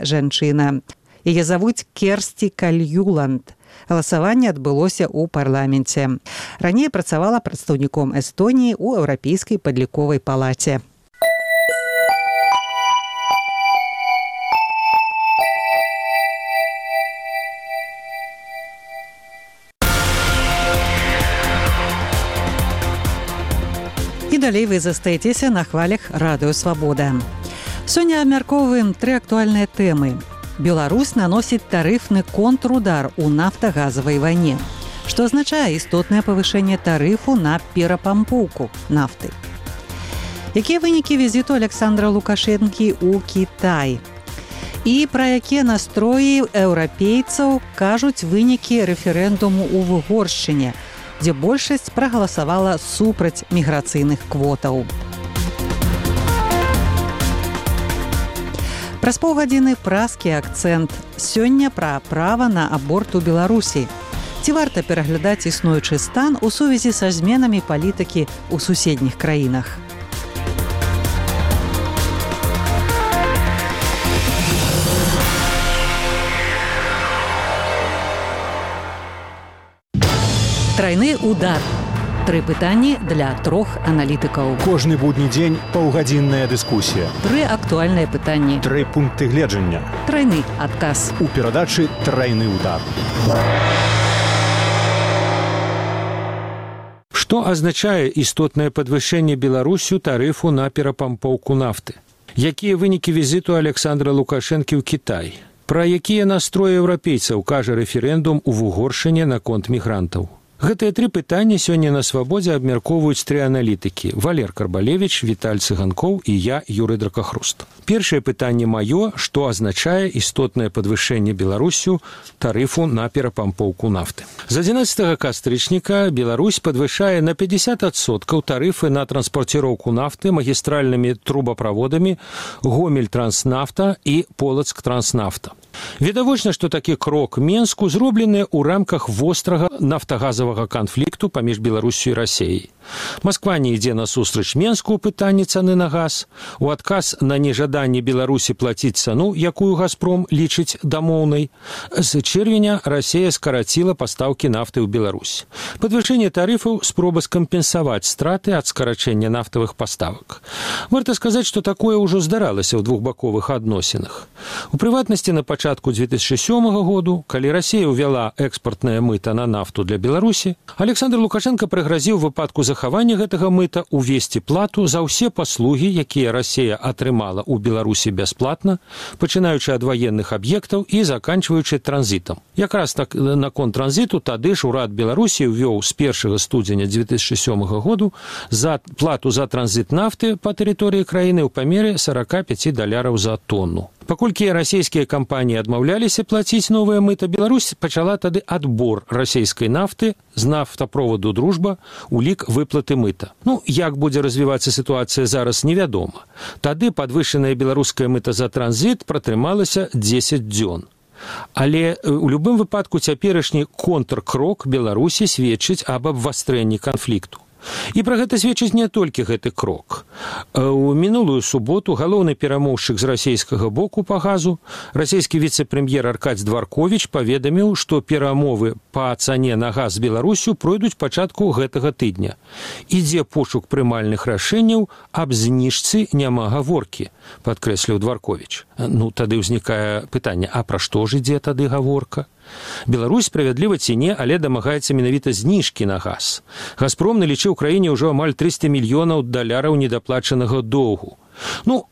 жанчына. Яе завуць Керсці Кальюланд. Галасаванне адбылося ў парламенце. Раней працавала прадстаўніком Эстоніі ў Еўрапейскай падліковай палаце. І далей вы застаецеся на хвалях Радыё Свабода. Сёння абмяркоўваем 3 актуальныя тэмы. Беларусь наносіць тарыфны контрудар у нафтагазавай вайне, што азначае істотнае павышэнне тарыфу на перапампоўку нафты. Якія вынікі візіту Александра Лукашэнкі ў Кітай? І пра якія настроі еўрапейцаў кажуць вынікі рэферэндуму ў Угоршчыне, дзе большасць прагаласавала супраць міграцыйных квотаў. Праз паўгадзіны празкі акцэнт. Сёння пра права на аборт у Беларусі. Ці варта пераглядаць існуючы стан у сувязі са зменамі палітыкі ў суседніх краінах? Трайны удар. 3 пытанні для 3 аналітыкаў. Кожны будні дзень паўгадзінная дыскусія. 3 актуальныя пытанні. 3 пункты гледжання. Трайны адказ. У перадачы «Трайны удар». Што азначае істотнае падвышэнне Беларусю тарыфу на перапампоўку нафты? Якія вынікі візіту Александра Лукашэнкі ў Кітай? Пра якія настроі еўрапейцаў кажа рэферэндум у Угоршчыне наконт мігрантаў? Гэтыя 3 пытання сёння на Свабодзе абмяркоўваюць 3 аналітыкі: Валер Карбалевіч, Віталь Цыганкоў і я, Юрый Дракахруст. Першае пытанне маё, што азначае істотнае падвышэнне Беларусю тарыфу на перапампоўку нафты. З 11 кастрычніка Беларусь падвышае на 50% тарыфы на транспарціроўку нафты магістральнымі трубаправодамі Гомель-Транснафта і Полацк-Транснафта. Відавочна, што такі крок Менску зроблены ў рамках вострага нафтагазавага канфлікту паміж Беларусю і Расіяй. Масква не ідзе насустрач Менску ў пытанні цаны на газ. У адказ на нежаданне Беларусі плаціць цану, якую «Газпром» лічыць дамоўнай, з чэрвеня Расія скараціла пастаўкі нафты ў Беларусь. Падвышэнне тарыфаў – спроба скампенсаваць страты ад скарачэння нафтавых паставак. Варта сказаць, што такое ўжо здаралася ў двухбаковых адносінах. У прыватнасці на пачатку 2007 году, калі Расія ўвяла экспартнае мыта на нафту для Беларусі, Александр Лукашенко прыгразіў выпадку захавання гэтага мыта увесці плату за ўсе паслугі, якія Расія атрымала ў Беларусі бясплатна, пачынаючы ад ваенных аб'ектаў і заканчваючы транзітам. Якраз так наконт транзіту тады ж урад Беларусі ўвёў з 1 студзеня 2007 году за плату за транзіт нафты па тэрыторыі краіны ў памеры $45 за тонну. Паколькі расійскія кампаніі адмаўляліся плаціць новае мыта, Беларусь пачала тады адбор расійскай нафты з нафтаправоду «Дружба» у лік выплаты мыта. Як будзе развівацца сітуацыя зараз, невядома. Тады падвышанае беларускае мыта за транзіт пратрымалася 10 дзён. Але у любым выпадку цяперашні контркрок Беларусі сведчыць аб абвастрэнні канфлікту. І пра гэта сведчыць не толькі гэты крок. У мінулую суботу галоўны перамоўшчык з расійскага боку па газу, расійскі віцэ-прэм'ер Аркадзь Дварковіч паведаміў, што перамовы па цане на газ з Беларусю пройдуць пачатку гэтага тыдня. Ідзе пошук прымальных рашэнняў, аб зніжцы няма гаворкі, падкрэсліў Дварковіч. Тады ўзнікае пытанне, а пра што ж ідзе тады гаворка? Беларусь, справядліва ці не, але дамагаецца менавіта зніжкі на газ. «Газпром» налічыў краіне ўжо амаль $300 мільёнаў недаплачанага доўгу.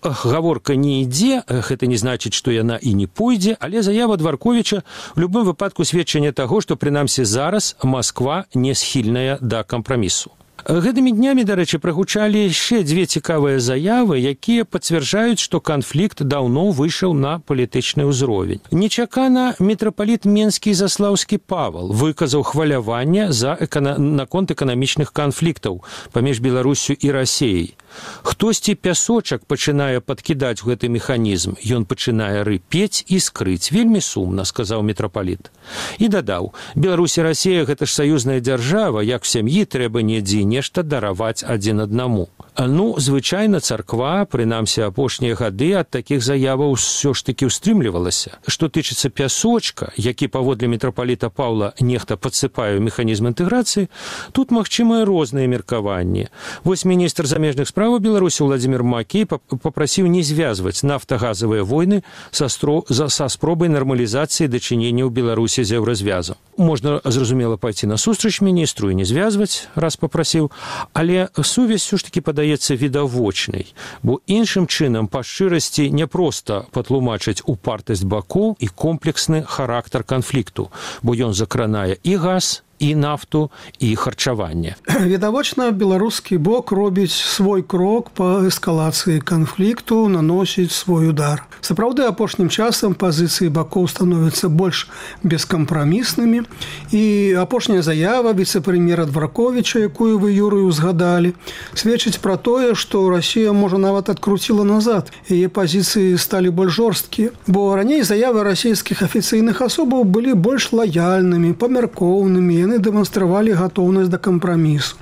Гаворка не ідзе, гэта не значыць, што яна і не пойдзе, але заява Дварковіча у любым выпадку сведчанне таго, што прынамсі зараз Масква не схільная да кампрамісу. Гэтымі днямі, дарэчы, прагучалі яшчэ 2 цікавыя заявы, якія пацвярджаюць, што канфлікт даўно выйшаў на палітычны ўзровень. Нечакана мітрапаліт Менскі і Заслаўскі Павал выказаў хваляванне наконт эканамічных канфліктаў паміж Беларусю і Расіяй. Хтосьці пясочак пачынае падкідаць гэты механізм. Ён пачынае рыпець і скрыць. Вельмі сумна, сказаў мітрапаліт. І дадаў, Беларусь і Расія – гэта ж саюзная дзяржава, як в сям'і трэба недзе нешта дараваць адзін аднаму. Звычайна царква, прынамсі апошнія гады, ад такіх заяваў ўсё ж такі ўстрымлівалася. Што тычыцца пясочка, які паводле мітрапаліта Паўла нехта падсыпае ў механізм інтэграцыі, тут магчымыя розныя меркаванні. Вось міністр замежных справаў Беларусі Владзімір Макей папрасіў не звязваць нафтагазавыя войны са спробай нармалізацыі дачыненняў Беларусі з еўразвязам. Можна, зразумела, пайці насустрач міністру і не звязваць, раз папрасіў, але сувязь ўсё ж такі падаецца відавочнай, бо іншым чынам па шчырасці не проста патлумачыць упартасць бакоў і комплексны характар канфлікту, бо ён закранае і газ, і нафту, і харчаванне. Відавочна, беларускі бок робіць свой крок па эскалацыі канфлікту, наносіць свой удар. Сапраўды, апошнім часам пазіцыі бакоў становяцца больш бескампраміснымі, і апошняя заява віцэ-прэм'ера Дварковіча, якую вы, Юрый, узгадалі, сведчыць пра тое, што Расія, можа, нават адкруціла назад. Яе пазіцыі сталі больш жорсткія, бо раней заявы расійскіх афіцыйных асобаў былі больш лаяльнымі, памяркоўнымі, яны дэманстравалі гатоўнасць да кампрамісу.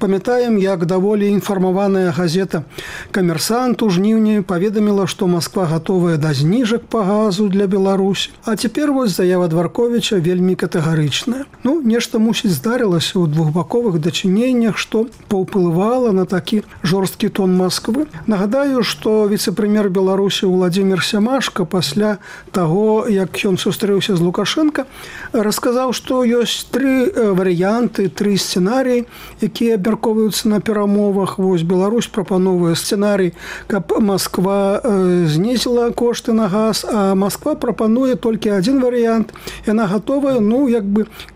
Памятаем, як даволі інфармаваная газета «Камерсант» у жніўні паведаміла, што Масква гатовая да зніжак па газу для Беларусі. А цяпер вось заява Дварковіча вельмі катэгарычная. Нешта, мусіць, здарылася ў двухбаковых дачыненнях, што паўплывала на такі жорсткі тон Масквы. Нагадаю, што віцэ-прэм'ер Беларусі Владзімір Сямашка пасля таго, як ён сустрэўся з Лукашенка, расказаў, што ёсць тры варыянты, тры сцэнарыі, якія абмяркоўваюцца на перамовах. Вось Беларусь прапановвае сцэнарый, каб Масква знізіла кошты на газ, а Масква прапануе толькі адзін варыянт. Яна гатовая,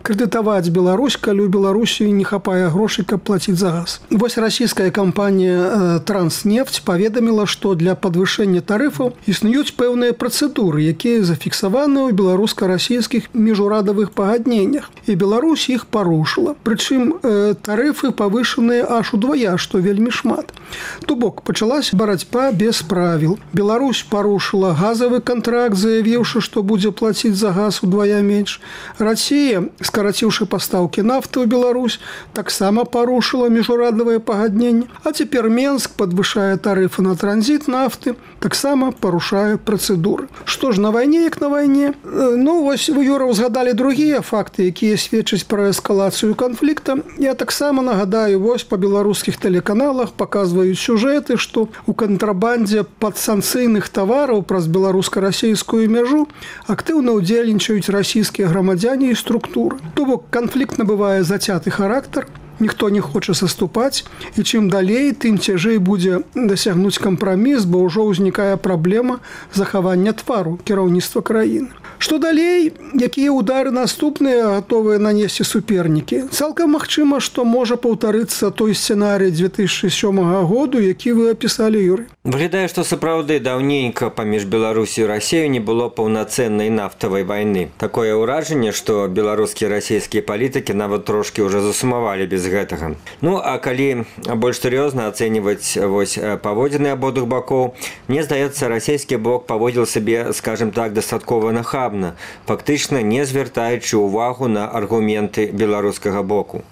крэдытаваць Беларусь, калі ў Беларусі не хапае грошай, каб плаціць за газ. Вось расійская кампанія «Транснефть» паведаміла, што для падвышэння тарыфаў існуюць пэўныя працэдуры, якія зафіксаваны ў беларуска-расійскіх міжурадавых пагадненнях. І Беларусь іх парушыла. Прычым тарыфы павышаныя аж удвая, што вельмі шмат. То бок, пачалася барацьба без правіл. Беларусь парушыла газавы кантракт, заявіўшы, што будзе плаціць за газ удвая менш. Расія, скараціўшы пастаўкі нафты ў Беларусь, таксама парушыла міжурадавыя пагадненні. А цяпер Менск падвышае тарыфы на транзіт нафты, таксама парушае працэдуры. Што ж, на вайне як на вайне? Вось вы, Юра, узгадалі другія факты, якія сведчаць пра эскалацыю канфлікта. Я таксама нагадаю, вось па беларускіх тэлеканалах паказваюць сюжэты, што ў кантрабандзе падсанкцыйных тавараў праз беларуска-расійскую мяжу актыўна ўдзельнічаюць расійскія грамадзяне і структуры. То бок, канфлікт набывае зацяты характар, ніхто не хоча саступаць, і чым далей, тым цяжэй будзе дасягнуць кампраміс, бо ўжо ўзнікае праблема захавання твару кіраўніцтва краіны. Што далей? Якія ўдары наступныя гатовыя нанесці супернікі? Цалкам магчыма, што можа паўтарыцца той сцэнарый 2007 году, які вы апісалі, Юрый. Выглядае, што сапраўды даўненька паміж Беларусі і Расіяй не было паўнацэннай нафтавай вайны. Такое ўражанне, што беларускія і расійскія палітыкі нават трошкі ўжо засумавалі без гэтага. А калі больш сур'ёзна ацэньваць паводзіны абодвух бакоў, мне здаецца, расійскі бок паводзіў сабе, скажем так, дастаткова нахабна, фактычна не звяртаючы ўвагу на аргументы беларускага боку.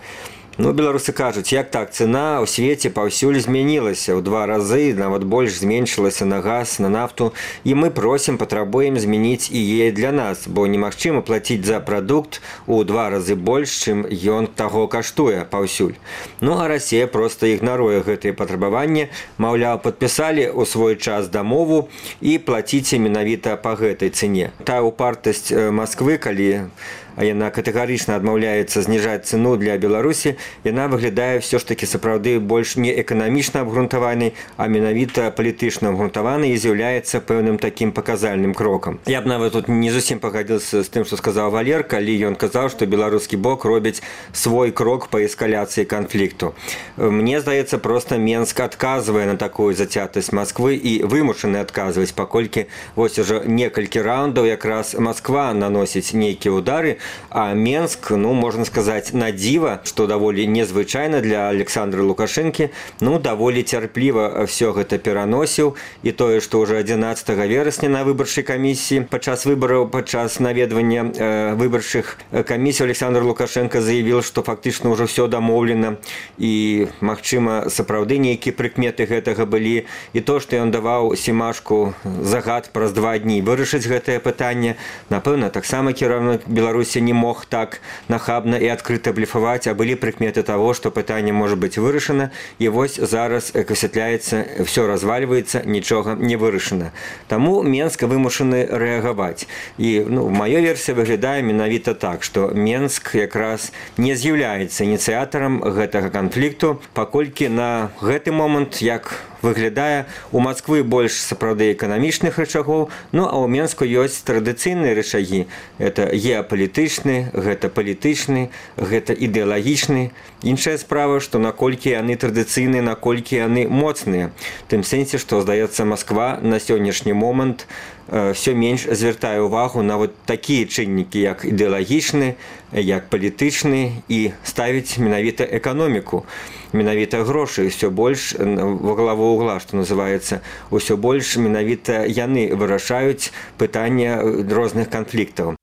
Беларусы кажуць, як так, цена ў свеце паўсюль змянілася ў 2 разы, нават больш зменшылася на газ, на нафту, і мы просім, патрабуем змяніць і яе для нас, бо немагчыма плаціць за прадукт у 2 разы больш, чым ён таго каштуе паўсюль. А Расія проста ігнаруе гэтыя патрабаванні, маўляў, падпісалі ў свой час дамову і плаціце менавіта па гэтай цэне. Тая упартасць Масквы, калі яна катэгарычна адмаўляецца зніжаць цэну для Беларусі, яна выглядае ўсё ж такі сапраўды больш не эканамічна абгрунтаванай, а менавіта палітычна абгрунтаванай і з'яўляецца пэўным такім паказальным крокам. Я б нават тут не зусім пагадзіўся з тым, што сказаў Валер, калі ён казаў, што беларускі бок робіць свой крок па эскаляцыі канфлікту. Мне здаецца, проста Менск адказвае на такую зацятасць Масквы і вымушаны адказваць, паколькі вось ужо некалькі раундаў якраз Масква наносіць нейкія ўдары, А Менск, можно сказать, на диво, что даволі незвычайна для Александра Лукашэнкі, даволі цярпліва все гэта пераносіў, і тое, што ўжо 11 верасня на выбарчай камісіі падчас выбараў, падчас наведвання выбарчых камісій Александр Лукашенко заявіў, што фактычна ўжо все дамоўлена, і магчыма сапраўды нейкія прыкметы гэтага былі, і то, што ён даваў Семашку загад праз 2 дні вырашыць гэтае пытанне, напэўна, таксама кіраўнік Беларусі не мог так нахабна і адкрыта блефаваць, а былі прыкметы таго, што пытанне можа быць вырашана, і вось зараз, як высвятляецца, все развальваецца, нічога не вырашана. Таму Менск вымушаны рэагаваць. І маёй версія выглядае менавіта так, што Менск якраз не з'яўляецца ініцыятарам гэтага канфлікту, паколькі на гэты момант, як выглядае, у Масквы больш сапраўды эканамічных рычагоў, а ў Менску ёсць традыцыйныя рычагі. Гэта геапалітычны, гэта палітычны, гэта ідэалагічны. Іншая справа, што наколькі яны традыцыйныя, наколькі яны моцныя. Тым сэнсе, што, здаецца, Масква на сённяшні момант все менш звяртае ўвагу на такія чыннікі, як ідэалагічны, як палітычны, і ставіць менавіта эканоміку, менавіта грошы, ўсё больш во главу угла, што называецца, ўсё больш менавіта яны вырашаюць пытання розных канфліктаў.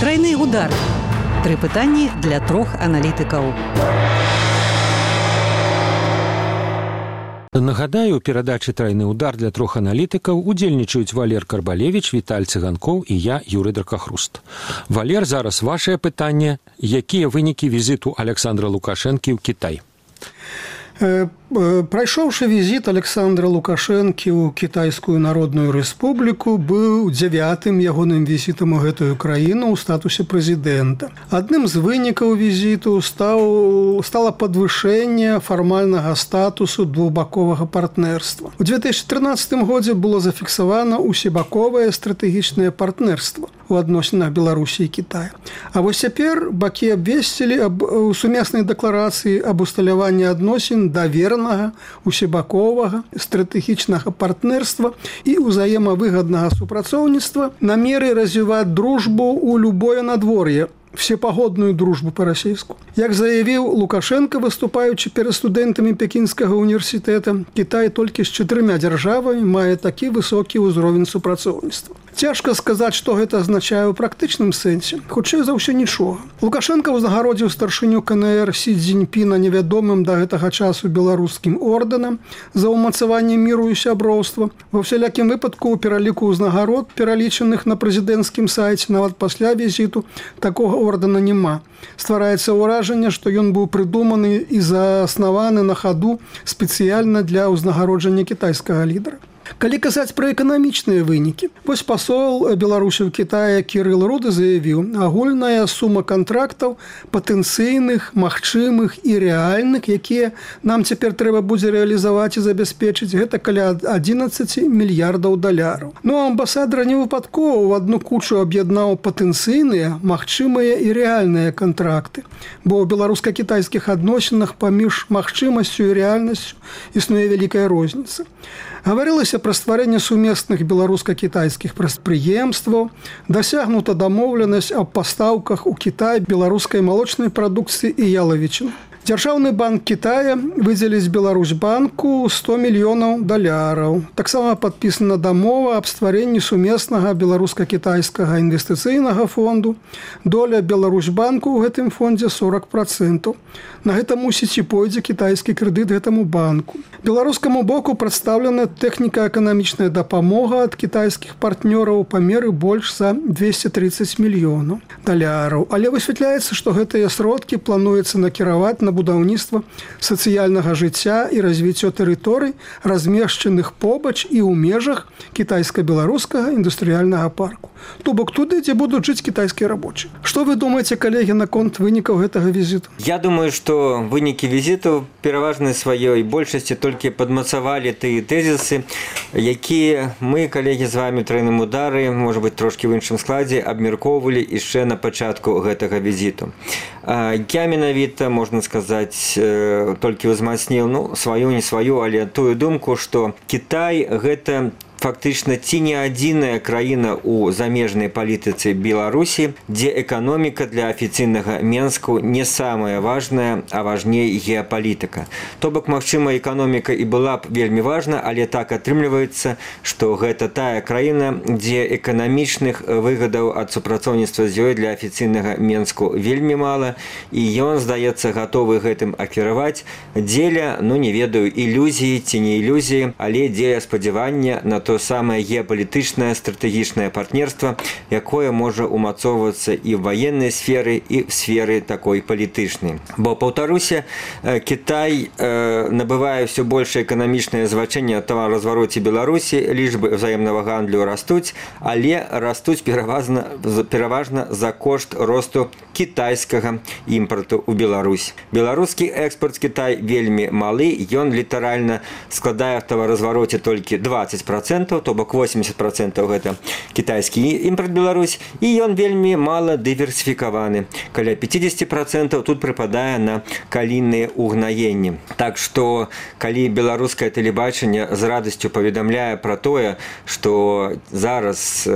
Трайны удар. 3 пытанні для 3 аналітыкаў. Нагадаю, у перадачы «Трайны удар» для 3 аналітыкаў удзельнічаюць Валер Карбалевіч, Віталь Цыганкоў і я, Юрый Дракахруст. Валер, зараз вашае пытанне. Якія вынікі візіту Александра Лукашэнкі ў Кітай? Прайшоўшы візіт Александра Лукашэнкі ў Кітайскую Народную Рэспубліку быў 9-м ягоным візітам у гэтую краіну ў статусе прэзідэнта. Адным з вынікаў візіту стала падвышэнне фармальнага статусу двухбаковага партнерства. У 2013 годзе было зафіксавана усебаковае стратэгічнае партнерства у адносінах Беларусі і Кітая. А вось цяпер бакі абвесцілі у сумеснай дэкларацыі аб усталяванні адносін давернага, усебаковага, стратэгічнага партнерства і ўзаемавыгаднага супрацоўніцтва, намеры развіваць дружбу ў любое надвор'е, всепогодную дружбу по-расейску. Як заявіў Лукашенко, выступаючы перад студэнтамі Пекінскага універсітэта, Кітай толькі з 4 дзяржавамі мае такі высокі ўзровень супрацоўніцтва. Цяжка сказаць, што гэта азначае ў практычным сэнсе. Хутчэй за ўсё нічога. Лукашенко ўзнагародзіў старшыню КНР Сі Цзіньпіна невядомым да гэтага часу беларускім ордэнам за ўмацаванне міру і сяброўства. Ва ўсялякім выпадку ў пераліку ўзнагарод, пералічаных на прэзідэнцкім сайце, нават пасля візіту, такога ордэна няма. Ствараецца ўражанне, што ён быў прыдуманы і заснаваны на хаду спецыяльна для ўзнагароджання кітайскага лідара. Калі казаць пра эканамічныя вынікі, вось пасол Беларусі ў Кітаі Кірыл Руды заявіў, агульная сума кантрактаў патэнцыйных, магчымых і рэальных, якія нам цяпер трэба будзе рэалізаваць і забяспечыць, гэта каля 11 мільярдаў даляраў. Амбасадар не выпадкова ў адну кучу аб'яднаў патэнцыйныя, магчымыя і рэальныя кантракты, бо ў беларуска-кітайскіх адносінах паміж магчымасцю і рэальнасцю існуе вялікая розніца. Гаварылася пра стварэнне сумесных беларуска-кітайскіх прадпрыемстваў, дасягнута дамоўленасць аб пастаўках у Кітай беларускай малочнай прадукцыі і ялавічыны. Дзяржаўны банк Кітая выдзеліць Беларусьбанку 100 мільёнаў даляраў. Таксама падпісана дамова аб стварэнні сумеснага беларуска-кітайскага інвестыцыйнага фонду. Доля Беларусьбанку ў гэтым фондзе 40%. На гэта мусіць і пойдзе кітайскі крэдыт гэтаму банку. Беларускаму боку прадстаўлена тэхніка-эканамічная дапамога ад кітайскіх партнёраў памеры больш за 230 мільёнаў даляраў. Але высвятляецца, што гэтыя сродкі плануецца накіраваць на будаўніцтва сацыяльнага жыцця і развіццё тэрыторый, размешчаных побач і ў межах кітайска-беларускага індустрыяльнага парку. То бок туды, дзе будуць жыць кітайскія рабочыя. Што вы думаеце, калегі, наконт вынікаў гэтага візіту? Я думаю, што вынікі візіту пераважнай сваёй большасці толькі падмацавалі тыя тэзісы, якія мы, калегі, з вамі «Трайным удары», можа быць, трошкі ў іншым складзе, абмяркоўвалі яшчэ на пачатку гэтага візіту. Я менавіта, можна сказаць, толькі ўзмацніў, сваю, не сваю, але тую думку, што Кітай – гэта фактычна ці не адзіная краіна ў замежнай палітыцы Беларусі, дзе эканоміка для афіцыйнага Менску не самая важная, а важней геапалітыка. То бок, магчыма, эканоміка і была б вельмі важна, але так атрымліваецца, што гэта тая краіна, дзе эканамічных выгадаў ад супрацоўніцтва з ёй для афіцыйнага Менску вельмі мала, і ён, здаецца, гатовы гэтым акіраваць дзеля, не ведаю, ілюзіі ці не ілюзіі, але дзеля спадзявання на то самае геапалітычнае стратэгічнае партнерства, якое можа умацоўвацца і ў ваеннай сферы, і в сферы такой палітычнай. Бо, паўтаруся, Кітай набывае ўсё большее эканамічнае значэнне ад таваразвароце Беларусі, лічбы ўзаемнага гандлю растуць, але растуць пераважна за кошт росту кітайскага імпарту ў Беларусь. Беларускі экспорт Кітай вельмі малы, ён літаральна складае в таваразвароце толькі 20%, то бок 80% гэта кітайскі імпорт Беларусь, і ён вельмі мала дыверсіфікаваны. Каля 50% тут прыпадае на калійныя угнаенні. Так што, калі беларускае тэлебачанне з радасцю паведамляе пра тое, што зараз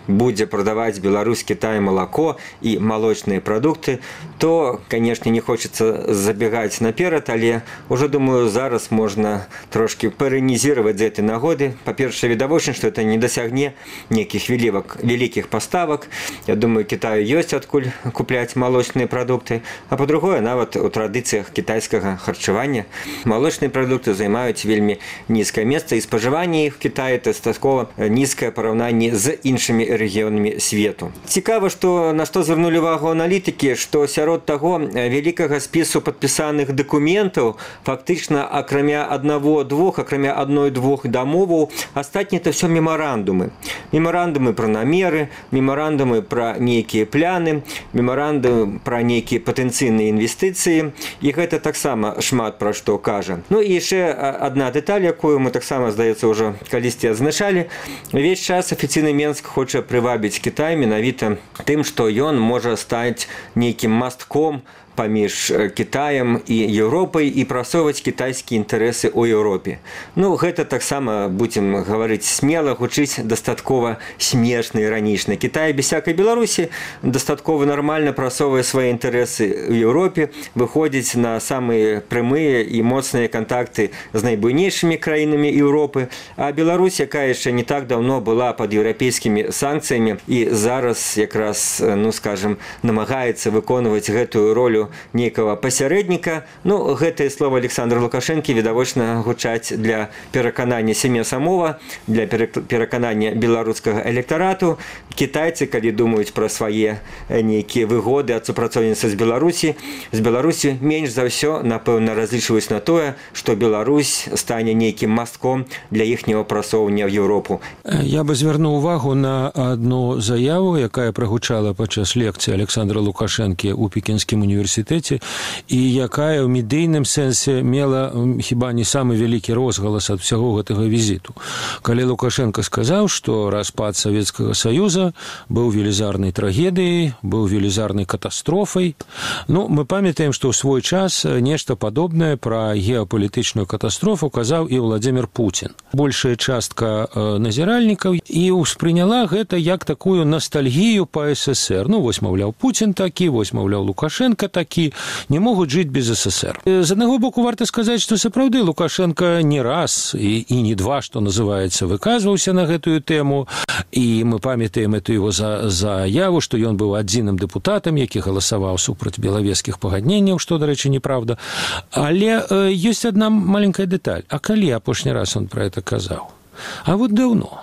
будзе прадаваць Беларусь Кітай малако і малочныя прадукты, то, канешне, не хочацца забегаць наперад, але ўжо, думаю, зараз можна трошки паранізировать з этой нагоды. Па-першае, відавочна, што это не дасягне нейкіх вялікіх паставак. Я думаю, Кітаю ёсць адкуль купляць малочныя прадукты. А па-другое, нават у традыцыях кітайскага харчавання малочныя прадукты займаюць вельмі нізкае месца, і спажыванне іх в Кітаі дастаткова нізкае параўнанне з іншымі рэгіёнамі свету. Цікава, што на што звярнулі увагу аналітыкі, што сярод таго вялікага спісу падпісаных дакументаў фактычна акрамя адной-двух дамоваў, астатні это ўсё мемарандумы. Мемарандумы пра намеры, мемарандумы пра нейкія пляны, мемарандумы пра нейкія патэнцыйныя інвестыцыі, і гэта таксама шмат пра што кажа. І яшчэ адна дэталь, якую мы таксама, здаецца, ўжо калісьці адзначалі. Увесь час афіцыйны Менск хоча прывабіць Кітай менавіта тым, што ён можа стаць нейкім мастком паміж Кітаем і Еўропай і прасоўваць кітайскія інтарэсы ў Еўропе. Гэта таксама, будзем гаварыць смела, гучыць дастаткова смешна, іранічна. Кітай без всякай Беларусі дастаткова нармальна прасоўвае свае інтарэсы ў Еўропе, выходзіць на самыя прямыя і моцныя кантакты з найбуйнейшымі краінамі Еўропы. А Беларусь, якая яшчэ не так даўно была пад еўрапейскімі санкцыямі і зараз якраз, скажем, намагаецца выконваць гэтую ролю нейкага пасярэдніка. Гэтае слова Александра Лукашэнкі відавочна гучаць для пераканання сям'я самова, для пераканання беларускага электарату. Кітайцы, калі думаюць пра свае нейкія выгоды ад супрацоўніцтва з Беларусі, менш за ўсё, напэўна, разлічваюць на тое, што Беларусь стане нейкім мастком для іхняга прасоўвання ў Еўропу. Я бы звярнуў увагу на адну заяву, якая прагучала падчас лекцыі Александра Лукашэнкі ў Пекінскім універсітэце, і якая ў медыйным сэнсе мела хіба не самы вялікі розгалас ад усяго гэтага візіту. Калі Лукашенко сказаў, што распад Савецкага Саюза быў велізарнай трагедыяй, быў велізарнай катастрофай. Мы памятаем, што ў свой час нешта падобнае пра геапалітычную катастрофу казаў і Владзімір Пуцін. Большая частка назіральнікаў і ўспрыняла гэта як такую ностальгію па СССР. Вось, маўляў, Пуцін такі, вось, маўляў, Лукашенко такі, не могуць жыць без СССР. З аднаго боку, варта сказаць, што сапраўды Лукашенко не раз і не два, што называецца, выказваўся на гэтую тэму, і мы памятаем эту его заяву, што ён быў адзіным дэпутатам, які галасаваў супраць белавежскіх пагадненняў, што, дарэчы, неправда. Але ёсць адна маленькая дэталь. А калі апошні раз он про это казаў? А вот даўно.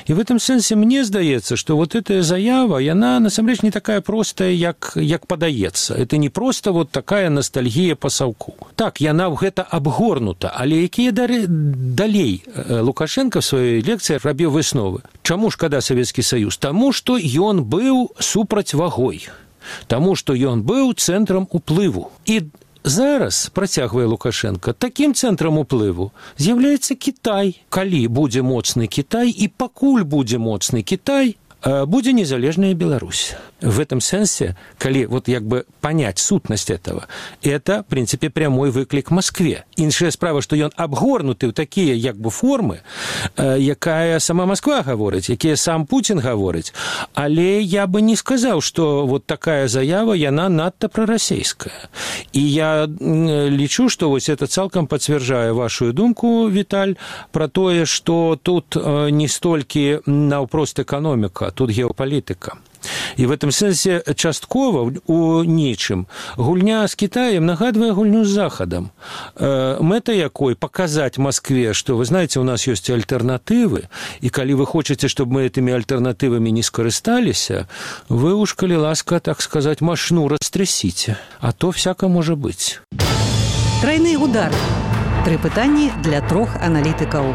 И в этом сенсе мне здаецца, што вот эта заява, яна насамрэч не такая простая, як падаецца. Это не просто вот такая ностальгія па саўку. Так, яна гэта абгорнута, але якія далей Лукашенко в сваёй лекцыі рабіў высновы. Чаму шкада Савецкі Саюз? Таму, што ён быў супрацьвагой. Таму, што ён быў цэнтрам уплыву. І зараз, працягвае Лукашенко, такім цэнтрам уплыву з'яўляецца Кітай. Калі будзе моцны Кітай і пакуль будзе моцны Кітай, будзе незалежная Беларусь. В этом сенсе, коли вот як бы понять сутнасць этого, это, в принципе, прямой выклик Москве. Іншая справа, што ён абгорнуты ў такія як бы формы, якая сама Москва гаворыць, якія сам Путин гаворыць. Але я бы не сказаў, што вот такая заява, яна надта прарасейская. І я лічу, што вось это цалкам пацвярджае вашу думку, Віталь, про тое, што тут не столькі наўпрост эканоміка, тут геапалітыка. І в этом сенсе часткова у нечым гульня з Китаем нагадвае гульню з Захадам. Мэта якой показать Москве, что, вы знаете, у нас есть альтернатывы, и коли вы хотите, чтобы мы этими альтернатывами не скористались, вы уж, коли ласка, так сказать, машину растрясите, а то всяко может быть. Тройны удар. 3 пытанні для 3 аналітыкаў.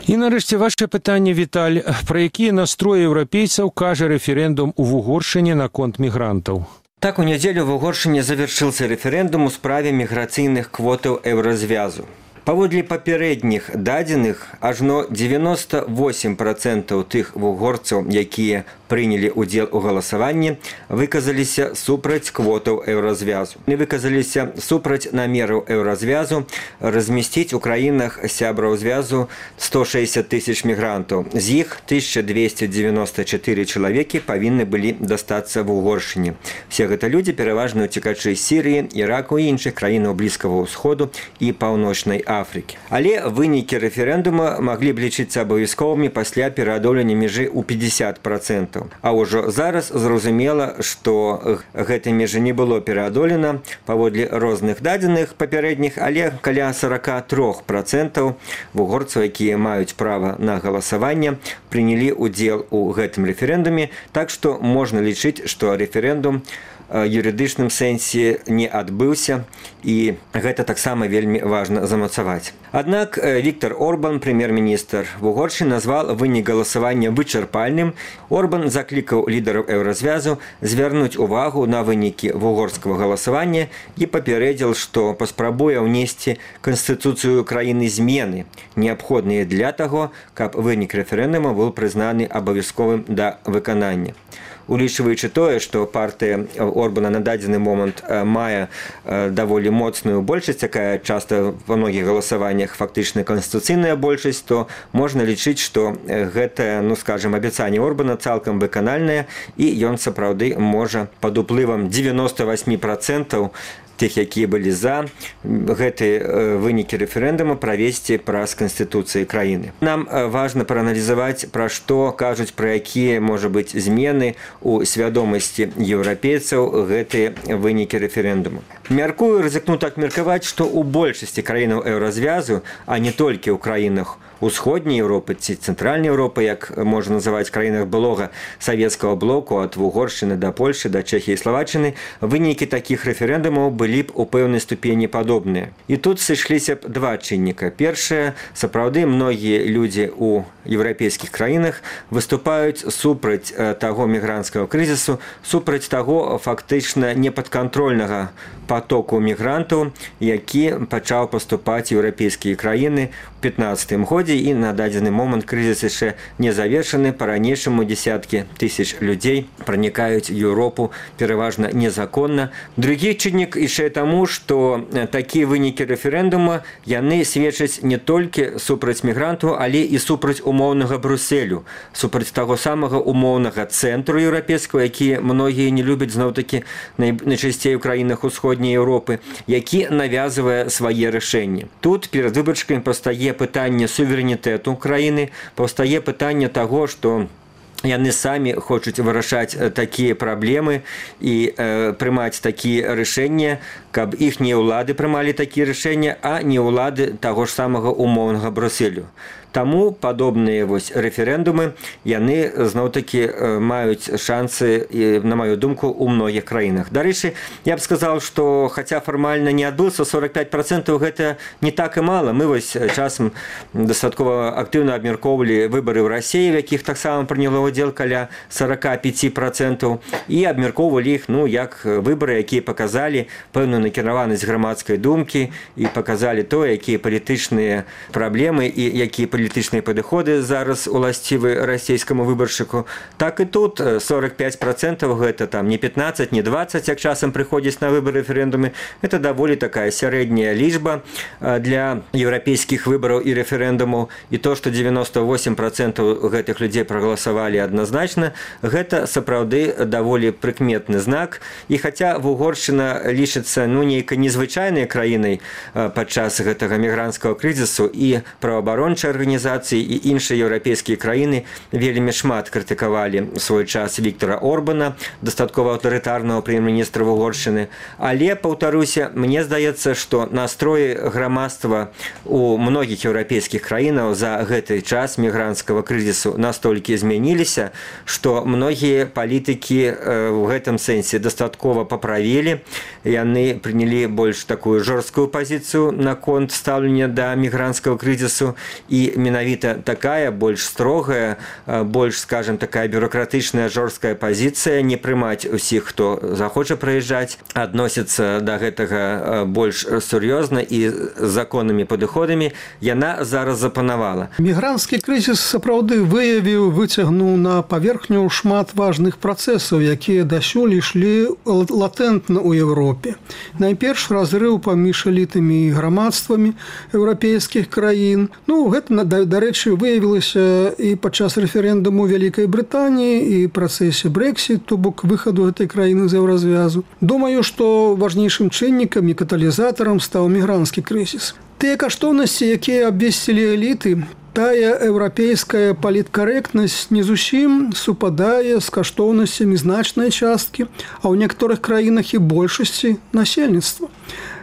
І нарэшце ваше пытанне, Віталь, пра якія настроі еўрапейцаў кажа рэферэндум у Угоршыне наконт мігрантаў? Так, у нядзелю в Угоршыне завершился референдум у справе міграцыйных квотаў еўразвязу. Паводле папярэдніх дадзеных, ажно 98% тых вугорцаў, якія прынялі ўдзел у галасаванні, выказаліся супраць квотаў еўразвязу. Не выказаліся супраць намераў еўразвязу размясціць у краінах сябраў звязу 160 тысяч мігрантаў. З іх 1294 чалавекі павінны былі дастацца в Угоршыне. Все гэта людзі пераважна ўцекачы з Сірыі, Іраку і іншых краінаў Блізкага ўсходу і Паўночнай Афрыкі. Але вынікі рэферэндума маглі б лічыцца абавязковымі пасля пераадолення мяжы ў 50%. А ўжо зараз зразумела, што гэтай мяжы не было пераадолена паводле розных дадзеных папярэдніх, але каля 43% вугорцаў, якія маюць права на галасаванне, прынялі ўдзел у гэтым рэферэндуме, так што можна лічыць, што рэферэндум юрыдычным сэнсе не адбыўся, і гэта таксама вельмі важна замацаваць. Аднак Віктор Орбан, прэм'ер-міністр Угоршыны, назвал вынік галасавання вычарпальным. Орбан заклікаў лідараў еўразвязу звярнуць увагу на вынікі вугорскага галасавання і папярэдзіл, што паспрабуе ўнесці канстытуцыю краіны змены, неабходныя для таго, каб вынік рэферэндума быў прызнаны абавязковым да выканання. Улічваючы тое, што партыя Орбана на дадзены момант мае даволі моцную большасць, якая часта ва многіх галасаваннях фактычна канстытуцыйная большасць, то можна лічыць, што гэта, скажем, абяцанне Орбана цалкам выканальнае, і ён сапраўды можа пад уплывам 98% тых, якія былі за гэты вынікі рэферэндума, правесці праз канстытуцыі краіны. Нам важна прааналізаваць, пра што кажуць, пра якія, можа быць, змены у свядомасці еўрапейцаў гэтыя вынікі рэферэндума. Мяркую, рызыкну так меркаваць, што ў большасці краінаў еўразвязу, а не толькі ў краінах Усходняй Еўропы ці Цэнтральнай Еўропы, як можна называць краінах былога савецкага блоку, ад Угоршчыны да Польшы, да Чэхіі і Славаччыны, вынікі такіх рэферэндумаў былі б у пэўнай ступені падобныя. І тут сышліся б 2 чынніка. Першае, сапраўды многія людзі ў еўрапейскіх краінах выступаюць супраць таго мігрантскага крызісу, супраць таго фактычна непадкантрольнага потоку мігрантаў, які пачаў паступаць еўрапейскія краіны ў 2015 годзе, і на дадзены момант крызіс яшчэ не завершаны. Па-ранейшаму дзесяткі тысяч людзей пранікаюць Еўропу пераважна незаконна. Другі чыннік яшчэ таму, што такія вынікі рэферэндума, яны сведчаць не толькі супраць мігрантаў, але і супраць умоўнага Брюсселю, супраць таго самага умоўнага цэнтру еўрапейскага, які многія не любяць, зноў-такі найчасцей у краінах Усходняй Еўропы, які навязвае свае рашэнні. Тут перад выбаршчыкамі паўстае пытанне суверэнітэту краіны, паўстае пытанне таго, што яны самі хочуць вырашаць такія праблемы і прымаць такія рашэнні, каб іхнія ўлады прымалі такія рашэнні, а не ўлады таго ж самага умоўнага Брюсселю. Таму падобныя рэферэндумы, яны зноў-такі маюць шансы, на маю думку, у многіх краінах. Дарэчы, я б сказаў, што хаця фармальна не адбыўся, 45% гэта не так і мала. Мы часам дастаткова актыўна абмяркоўвалі выбары ў Расіі, в якіх таксама прыняло ўдзел каля 45%, і абмяркоўвалі іх, як выбары, якія паказалі пэўную накіраванасць грамадскай думкі і паказалі тое, якія палітычныя праблемы і якія палітычныя падыходы зараз уласцівы расійскаму выбаршчыку, так і тут 45% гэта там не 15, не 20, як часам прыходзіць на выбары рэферэндумы. Это даволі такая сярэдняя лічба для еўрапейскіх выбараў і рэферэндумаў. І то, што 98% гэтых людзей прагаласавалі адназначна, гэта сапраўды даволі прыкметны знак. І хаця Угоршчына лічыцца нейкай незвычайнай краінай падчас гэтага мігранцкага крызісу, і праваабарончыя арганізацыі і іншыя еўрапейскія краіны вельмі шмат крытыкавалі ў свой час Віктора Орбана, дастаткова аўтарытарнага прэм'ер-міністра Угоршчыны. Але, паўтаруся, мне здаецца, што настроі грамадства у многіх еўрапейскіх краінаў за гэты час мігранцкага крызісу настолькі змяніліся, што многія палітыкі ў гэтым сэнсе дастаткова паправілі. Яны прынялі больш такую жорсткую пазіцыю наконт стаўлення да мігранцкага крызісу, і менавіта такая больш строгая, больш, скажем, такая бюрократычная жорсткая пазіцыя, не прымаць усіх, хто захоча прыязджаць, адносіцца да гэтага больш сур'ёзна і законнымі падыходамі, яна зараз запанавала. Мігранцкі крызіс сапраўды выцягнуў на паверхню шмат важных працэсаў, якія дасюль ішлі латэнтна ў Еўропе. Найперш разрыў паміж элітамі і грамадствамі еўрапейскіх краін. Гэта, дарэчы, выявілася і падчас рэферэндуму Вялікай Брытаніі і працэсе Брэксіт, то бок выхаду гэтай краіны з еўразвязу. Думаю, што важнейшым чыннікам і каталізатарам стаў мігранцкі крызіс. Тыя каштоўнасці, якія абвесцілі эліты, тая еўрапейская паліткарэктнасць не зусім супадае з каштоўнасцямі значнай часткі, а ў некаторых краінах і большасці насельніцтва.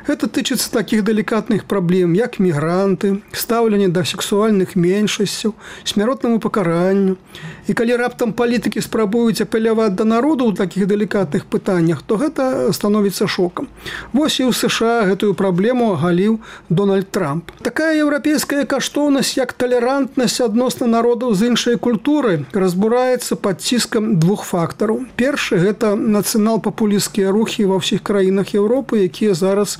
Гэта тычыцца такіх далікатных праблем, як мігранты, стаўленне да сексуальных меншасцяў, смяротнаму пакаранню. І калі раптам палітыкі спрабуюць апеляваць да народу ў такіх далікатных пытаннях, то гэта становіцца шокам. Вось і ў США гэтую праблему агаліў Дональд Трамп. Такая еўрапейская каштоўнасць, як талерантнасць адносна народаў з іншай культурай, разбураецца пад ціскам двух фактараў. Першы – гэта нацыянал-папулісцкія рухі ва ўсіх краінах Еўропы, якія зараз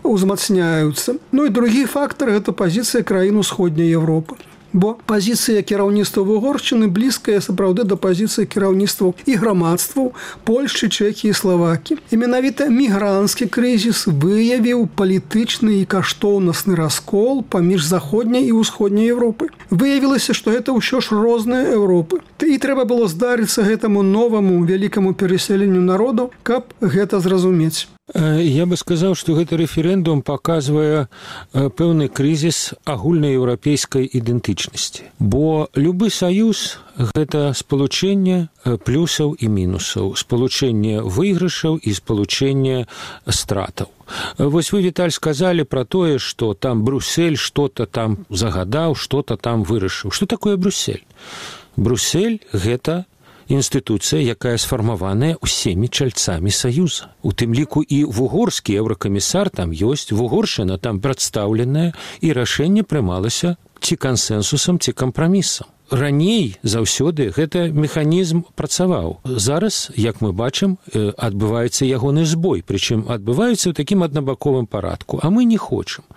узмацняюцца. І другі фактар – гэта пазіцыя краін Усходняй Еўропы. Бо пазіцыя кіраўніцтва Угоршчыны блізкая сапраўды да пазіцыі кіраўніцтваў і грамадстваў Польшчы, Чэхіі і Славакіі. І менавіта мігранцкі крызіс выявіў палітычны і каштоўнасны раскол паміж Заходняй і Усходняй Еўропай. Выявілася, што гэта ўсё ж розныя Еўропы. І трэба было здарыцца гэтаму новаму вялікаму перасяленню народаў, каб гэта зразумець. Я бы сказаў, што гэты рэферэндум паказвае пэўны крызіс агульнаеўрапейскай ідэнтычнасці. Бо любы саюз – гэта спалучэнне плюсаў і мінусаў, спалучэнне выйгрышаў і спалучэнне стратаў. Вось вы, Віталь, сказалі пра тое, што там Брюссель што-то там загадаў, што-то там вырашыў. Што такое Брюссель? Брюссель – гэта інстытуцыя, якая сфармаваная ўсімі чальцамі саюза. У тым ліку і вугорскі еўракамісар там ёсць, Вугоршчына там прадстаўленая, і рашэнне прымалася ці кансэнсусам, ці кампрамісам. Раней заўсёды гэты механізм працаваў. Зараз, як мы бачым, адбываецца ягоны збой, прычым адбываецца ў такім аднабаковым парадку, а мы не хочам.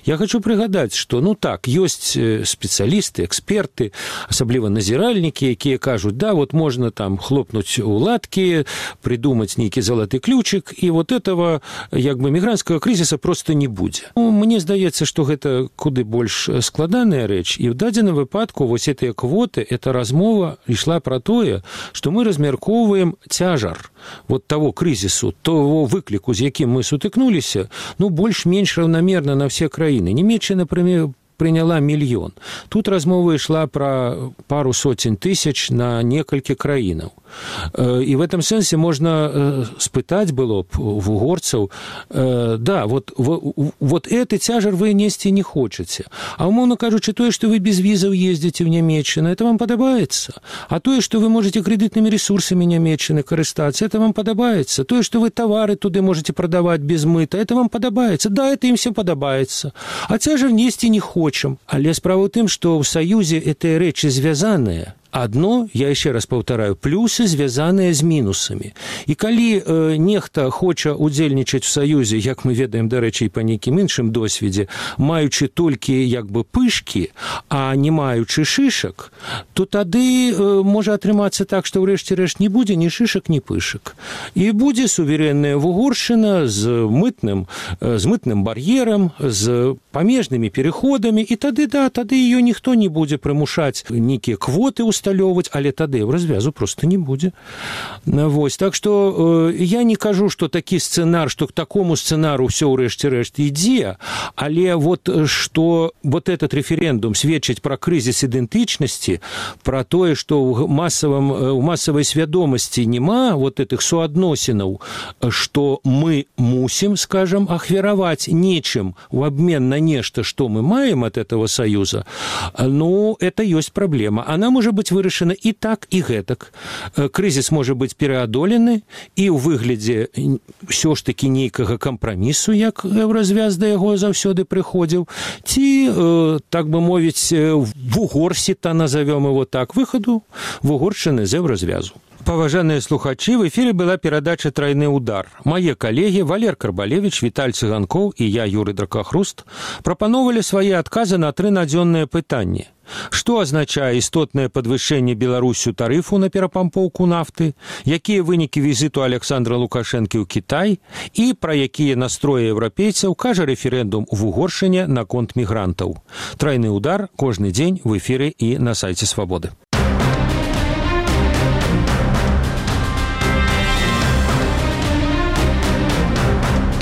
Я хочу прыгадаць, што ёсць спецыялісты, эксперты, асабліва назіральнікі, якія кажуць, можна там хлопнуць у ладкі, придумаць нейкі залаты ключик, і этого мігрантскага крызіса просто не будзе. Мне здаецца, што гэта куды больш складаная рэч, і ў дадзеным выпадку вось гэтыя квоты, эта размова ішла пра тое, што мы размяркоўваем цяжар таго крызісу, того выкліку, з якім мы сутыкнуліся, больш-менш раўнамерна на все краіны. Нямецчына, например, прыняла 1 мільён. Тут размова ішла пра пару сотень тысяч на некалькі краінаў. І в этом сэнсе можна спытаць было б у угорцаў, гэты цяжар вы несці не хочаце. А умоўна кажучы, тое, што вы без візаў ездзіце ў Нямецчыну, это вам падабаецца. А тое, што вы можаце крэдытнымі рэсурсамі Нямецчыны карыстацца, это вам падабаецца. Тое, што вы тавары туды можаце прадаваць без мыта, это вам падабаецца. Это ім все падабаецца. А цяжар несці не хочам. Але справа ў тым, што ў Саюзе гэтыя рэчы звязаныя. Адно, я яшчэ раз паўтараю, плюсы звязаныя з мінусамі. І калі нехта хоча удзельнічаць у саюзе, як мы ведаем, дарэчы, і па нейкім іншым досведзе, маючы толькі як бы пышкі, а не маючы шышак, то тады можа атрымацца так, што ў рэшце-рэшт не будзе ні шышак, ні пышак. І будзе суверэнная Вугоршчына з мытным бар'ерам, з памежнымі пераходамі, і тады ее ніхто не будзе прымушаць нейкія квоты усталёўваць, але тады развязу просто не будзе. Вось, так што я не кажу, што такі сцэнар, што к такому сцэнару ўсё ў рэшце-рэшт ідзе, але вот што вот этот рэферэндум сведчыць пра крызіс ідэнтычнасці, пра тое, што ў масавай свядомасці няма вот этих суадносінаў, што мы мусім, скажем, ахвяраваць нечым в обмен на нешта, што мы маем от этого союза, ну, это ёсць праблема. Она можа быць вырашана і так, і гэтак. Крызіс можа быць пераадолены і ў выглядзе ўсё ж такі нейкага кампрамісу, як развяз да яго заўсёды прыходзіў, ці, так бы мовіць, вугорсіта, назовём его так, выхаду Вугоршчыны з развязу. Паважаныя слухачы, в эфире была перадача «Тройны удар». Мае калегі Валер Карбалевич, Віталь Цыганкоў і я, Юрый Дракахруст, прапановалі свае адказы на 3 надзённыя пытанні. Што азначае істотнае падвышэнне Беларусю тарыфу на перапампоўку нафты, якія вынікі візіту Александра Лукашэнкі ў Кітай і пра якія настроі еўрапейцаў кажа рэферэндум у Вугоршчыне наконт мігрантаў. «Тройны удар» кожны дзень в эфіры і на сайце Свабоды.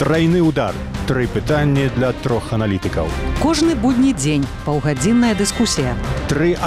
Тройны удар. 3 пытанні для 3 аналітыкаў. Кожны будні дзень паўгадзінная дыскусія. 3